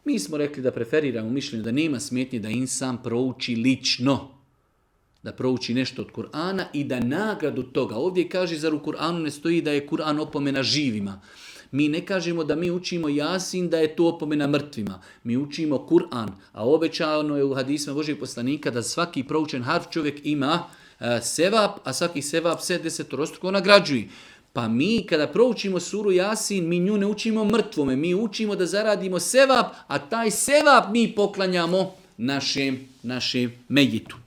Mi smo rekli da preferiramo mišljenje da nema smetnje da insan prouči lično. Da prouči nešto od Kur'ana i da nagradu toga. Ovdje kaže, zar u Kur'anu ne stoji da je Kur'an opomena živima. Mi ne kažemo da mi učimo Jasin da je to opomena mrtvima. Mi učimo Kur'an, a obećano je u hadisima Božijeg poslanika da svaki proučen harf čovjek ima sevap, a svaki sevap se 10-struko nagrađuje. Pa mi kada proučimo suru Jasin, mi nju ne učimo mrtvome, mi učimo da zaradimo sevap, a taj sevap mi poklanjamo našem mejitu.